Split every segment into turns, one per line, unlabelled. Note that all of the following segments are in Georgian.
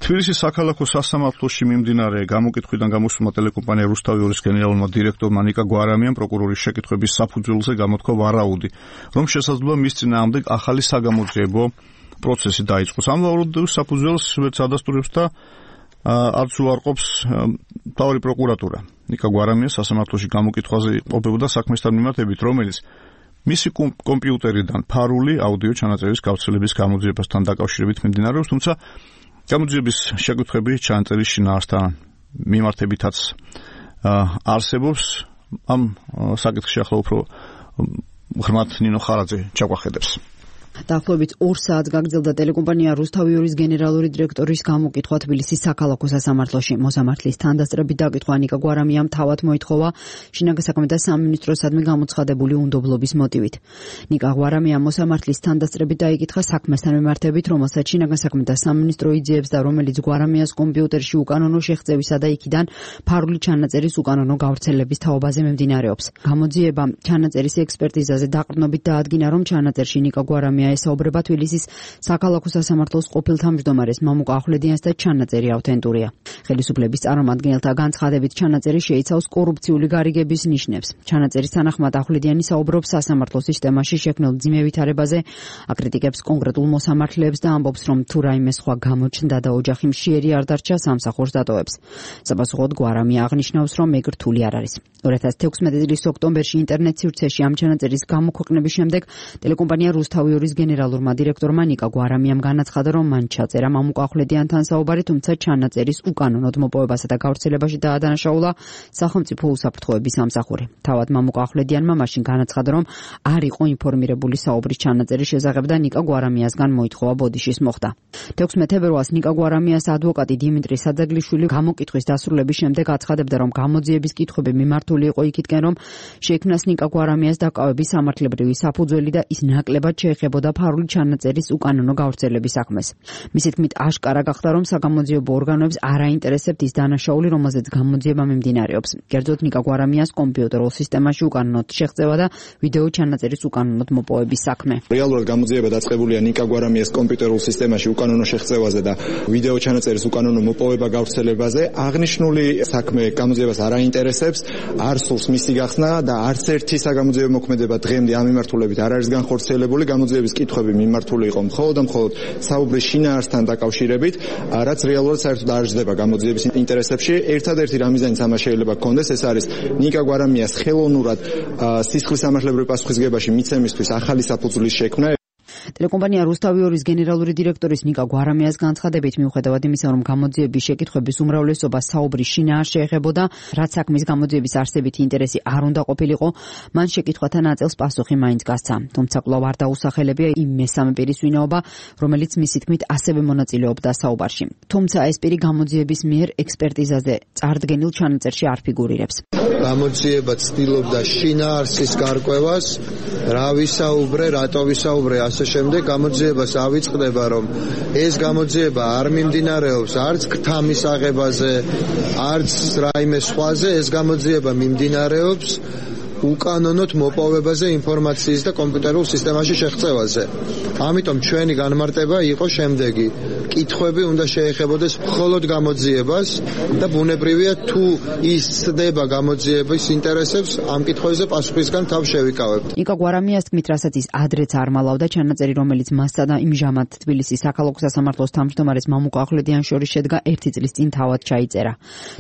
თბილისის საქალაქო სასამართლოში მიმდინარე გამოკითხვიდან გამოსულმა ტელეკომპანია რუსთავიორის გენერალურმა დირექტორმა ნიკა გვარამიამ პროკურორის შეკითხვების საფუძველზე გამოთქვა ვარაუდი, რომ შესაძლოა მის წინააღმდეგ ახალი საგამოძიებო პროცესი დაიწყოს. ამ ვარაუდის საფუძველს ვერც ადასტურებს და არც უარყოფს მთავარი პროკურატურა. ნიკა გვარამია სასამართლოში გამოკითხვაზე ყოფებოდა საქმესთან მიმართებით, რომელიც მისი კომპიუტერიდან ფარული აუდიო ჩანაწერის გავრცელების გამოძიებასთან დაკავშირებით მიმდინარეობს, თუმცა გამოძიების შეკითხვები ჩანაწერის შინაარსთან მიმართებითაც არსებობს. ამ საკითხში ახლა უფრო ღრმად ნინო ხარაძე ჩაგვახედებს.
დაახლოებით 2 საათს გაგრძელდა ტელეკომპანია რუსთავიორის გენერალური დირექტორის გამოკითხვა თბილისის საქალაქო სასამართლოში. მოსამართლის თანდასწრებით დაკითხვა ნიკა გვარამიამ თავად მოითხოვა შინაგან საქმეთა სამინისტროსადმი გამოცხადებული უნდობლობის მოტივით. ნიკა გვარამიამ მოსამართლის თანდასწრებით დაიკითხა საქმესთან მიმართებით, რომელსაც შინაგან საქმეთა სამინისტრო იძიებს და რომელიც გვარამიას კომპიუტერში უკანონო შეღწევისა და იქიდან ფარული ჩანაწერის უკანონო გავრცელების თაობაზე მიმდინარეობს. გამოძიება ჩანაწერის ექსპერტიზაზე დაყრდნობით დაადგინა, რომ ჩანაწერში ნიკა გვარამია ესაუბრება თბილისის საქალაქო სასამართლოს ყოფილ თავმჯდომარეს მამუკა ახვლედიანს და ჩანაწერი ავთენტურია. ხელისუფლების წარმომადგენელთა განცხადებით ჩანაწერი შეიცავს კორუფციული გარიგების ნიშნებს. ჩანაწერის თანახმად ახვლედიანი საუბრობს სასამართლოს სისტემაში შექმნილ მძიმე ვითარებაზე, აკრიტიკებს კონკრეტულ მოსამართლეებს და ამბობს, რომ თუ რაიმე სხვა გამოჩნდა და ოჯახი მშიერი არ დარჩა, სამსახურს დატოვებს. საპასუხოდ გვარამია აღნიშნავს, რომ ეგ რთული არ არის. 2016 წლის ოქტომბერში ინტერნეტ სივრცეში ამ ჩანაწერის გამოქვეყნების შემდეგ ტელეკომპანია რუსთავიორის გენერალურმა დირექტორმა ნიკა გვარამიამ განაცხადა, რომ მან ჩაწერა მამუკა ახვლედიანთან საუბარი, თუმცა ჩანაწერის უკანონოდ მოპოვებასა და გავრცელებაში დაადანაშაულა სახელმწიფო უსაფრთხოების სამსახური. თავად მამუკა ახვლედიანმა მაშინ განაცხადა, რომ არ იყო ინფორმირებული საუბრის ჩანაწერის შესახებ და ნიკა გვარამიასგან მოითხოვა ბოდიშის მოხდა. 16 თებერვალს ნიკა გვარამიას ადვოკატი დიმიტრი საძაგლიშვილი გამოკითხვის დასრულების შემდეგ აცხადებდა, რომ გამოძიების კითხვები მიმართული იყო იქითკენ, რომ შექმნას ნიკა გვარამიას დაკავების სამართლებრივი საფუძველი და ის ნაკლებად შეეხებოდა ფარული ჩანაწერის უკანონო გავრცელების საქმეს. მისი თქმით, აშკარა გახდა, რომ საგამოძიებო ორგანოებს არ აინტერესებთ ის დანაშაული, რომელზეც გამოძიება მიმდინარეობს. კერძოდ ნიკა გვარამიას კომპიუტერულ სისტემაში უკანონოდ შეღწევა და ვიდეო ჩანაწერის უკანონოდ მოპოვების საქმე.
რეალურად გამოძიება დაწყებულია ნიკა გვარამიას კომპიუტერულ სისტემაში უკანონო შეღწევაზე და ვიდეო ჩანაწერის უკანონო მოპოვება გავრცელებაზე. აღნიშნული საქმე გამოძიებას არ აინტერესებს, არ სურს მისი გახსნა და არც ერთი საგამოძიებო მოქმედება დღემდე ამ მიმართულებით არ არის განხორციელებული. გამოძიების კითხვები მიმართული იყო მხოლოდ საუბრის შინაარსთან დაკავშირებით, რაც რეალურად საერთოდ არ ჟდება გამოძიების ინტერესებში. ერთადერთი რამიზანიც ამას შეიძლება გქონდეს, ეს არის ნიკა გვარამიას ხელოვნურად სისხლის სამართლებრივი პასუხისგებაში მიცემისთვის ახალი საფუძვლის შექმნა.
ტელეკომპანია რუსთავიორის გენერალური დირექტორის ნიკა გვარამიას განცხადებით, მიუხედავად იმისა, რომ გამოძიების შეკითხვების უმრავლესობა საუბრის შინაარსს შეეხებოდა, რაც საქმის გამოძიების არსებითი ინტერესი არ უნდა ყოფილიყო, მან შეკითხვათა ნაწილს პასუხი მაინც გასცა. თუმცა კვლავ არ დაუსახელებია იმ მესამე პირის ვინაობა, რომელიც მისი თქმით ასევე მონაწილეობდა საუბარში. თუმცა ეს პირი გამოძიების მიერ ექსპერტიზაზე წარდგენილ ჩანაწერში არ ფიგურირებს.
გამოძიება ცდილობდა შინაარსის გარკვევას, რა ვისაუბრე, რატო ვისაუბრე, ასე შემდეგ გამოძიებას ავიწყდება, რომ ეს გამოძიება არ მიმდინარეობს არც ქთამის აღებაზე, არც რაიმე სხვაზე, ეს გამოძიება მიმდინარეობს უკანონოდ მოპოვებაზე ინფორმაციის და კომპიუტერულ სისტემაში შეღწევაზე. ამიტომ ჩვენი განმარტება იყო შემდეგი. კითხვები უნდა შეეხებოდეს მხოლოდ გამოძიებას და ბუნებრივია თუ ის ცდება გამოძიების ინტერესებს, ამ კითხვებზე პასუხისგან თავ შევიკავებთ.
ნიკა გვარამიას თქმით, რასაც ის ადრეც არ მალავდა, ჩანაწერი, რომელიც მასსა და იმჟამად თბილისის საქალაქო სასამართლოს თავმჯდომარეს მამუკა ახვლედიანს შორის შედგა 1 წლის წინ თავად ჩაიწერა.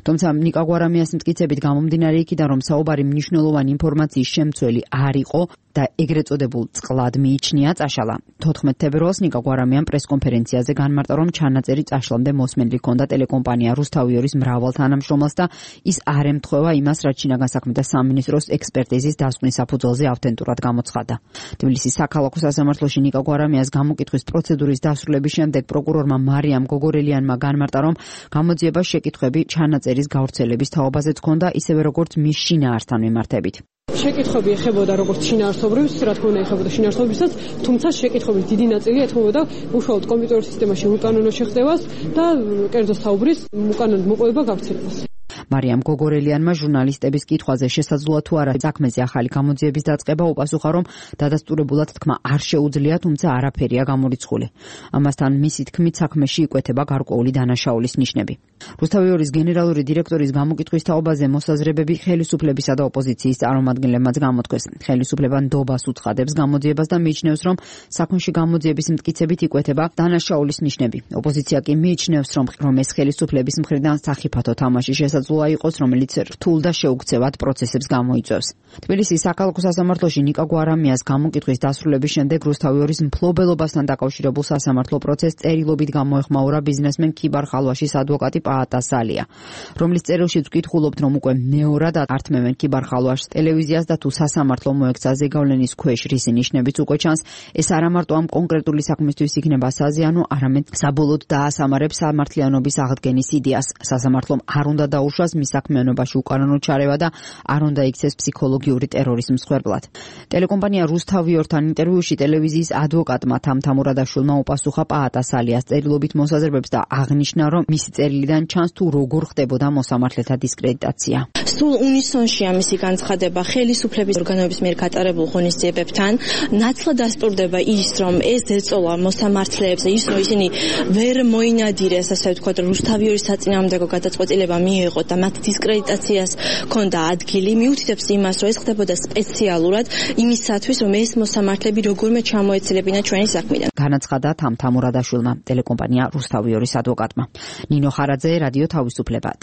თუმცა ნიკა გვარამიას მტკიცებით გამომდინარე იქიდან, რომ საუბარი მნიშვნელოვანი ინფორმაციის შემცველი არ იყო და ეგრეთ წოდებულ წყლად მიიჩნია წაშალა. 14 თებერვალს ნიკა გვარამიამ პრესკონფერენციაზე განმარტა, რომ ჩანაწერი წაშლამდე მოსმენილი ჰქონდა ტელეკომპანია რუსთავიორის მრავალ თანამშრომელს და ის არ ემთხვევა იმას, რაც შინაგან საქმეთა სამინისტროს ექსპერტიზის დასკვნის საფუძველზე ავთენტურად გამოცხადდა. თბილისის საქალაქო სასამართლოში ნიკა გვარამიას გამოკითხვის პროცედურის დასრულების შემდეგ პროკურორმა მარიამ გოგორელიანმა განმარტა, რომ გამოძიებას შეკითხვები ჩანაწერის გავრცელების თაობაზეც ჰქონდა, ისევე როგორც მის შინაარსთან მიმართებით.
შეკითხვები ეხებოდა როგორც შინაარსობრივს, რა თქმა უნდა ეხებოდა შინაარსობრივსაც, თუმცა შეკითხვების დიდი ნაწილი ეთმობოდა უშუალოდ კომპიუტერულ სისტემაში უკანონო შეღწევას და კერძო საუბრის უკანონო მოპოვება გავრცელებას.
მარიამ გოგორელიანმა ჟურნალისტების კითხვაზე შესაძლოა თუ არა საქმეზე ახალი გამოძიების დაწყება უპასუხა, რომ დადასტურებულად თქმა არ შეუძლია, თუმცა არაფერია გამორიცხული. ამასთან მისი თქმით საქმეში იკვეთება გარკვეული დანაშაულის ნიშნები. რუსთავი ორის გენერალური დირექტორის გამოკითხვის თაობაზე მოსაზრებები ხელისუფლებისა და ოპოზიციის წარმომადგენლებმაც გამოთქვეს. ხელისუფლება ნდობას უცხადებს გამოძიებას და მიიჩნევს, რომ საქმეში გამოძიების მტკიცებით იკვეთება დანაშაულის ნიშნები. ოპოზიცია კი მიიჩნევს, რომ ეს ხელისუფლების მხრიდან სახიფათო თამაში შესაძლოა იყოს, რომელიც რთულ და შეუქცევად პროცესებს გამოიწვევს. თბილისის საქალაქო სასამართლოში ნიკა გვარამიას გამოკითხვის დასრულების შემდეგ რუსთავი ორის მფლობელობასთან დაკავშირებულ სასამართლო პროცესს წერილობით გამოეხმაურა ბიზნესმენ ქიბარ ხალვაშის ადვოკატი პაატა სალია, რომლის წერილშიც ვკითხულობთ, რომ უკვე მეორად ართმევენ ქიბარ ხალვაშს ტელევიზიას და თუ სასამართლო მოექცა ზეგავლენის ქვეშ რისი ნიშნებიც უკვე ჩანს, ეს არა მარტო ამ კონკრეტული საქმისთვის იქნება საზიანო, არამედ საბოლოოდ დაასამარებს სამართლიანობის აღდგენის იდეას. სასამართლომ არ უნდა დაუშვას მის საქმიანობაში უკანონო ჩარევა და არ უნდა იქცეს ფსიქოლოგიური ტერორის მსხვერპლად. ტელეკომპანია რუსთავი ორთან ინტერვიუში ტელევიზიის ადვოკატმა თამთამურადაშვილმა უპასუხა პაატა სალიას წერილობით მოსაზრებებს და აღნიშნა, რომ მისი წერილიდან ჩანს თუ როგორ ხდებოდა მოსამართლეთა დისკრედიტაცია.
სულ უნისონშია მისი განცხადება ხელისუფლების ორგანოების მიერ გატარებულ ღონისძიებებთან. ნაცვლად დასტურდება ის, რომ ეს ეწოლა მოსამართლეებს, ის რომ ისინი ვერ მოინადირეს, ასე ვთქვათ, რუსთავი ორის საწინააღმდეგო გადაწყვეტილება მიიღოთ და მათ დისკრედიტაციას ჰქონდა ადგილი, მიუთითებს იმას, რომ ეს ხდებოდა სპეციალურად იმისათვის, რომ ეს მოსამართლეები როგორმე ჩამოეცილებინა ჩვენი საქმიდან.
განაცხადა თამთამურადაშვილმა, ტელეკომპანია რუსთავი ორის ადვოკატმა. ნინო ხარაძე, რადიო თავისუფლება.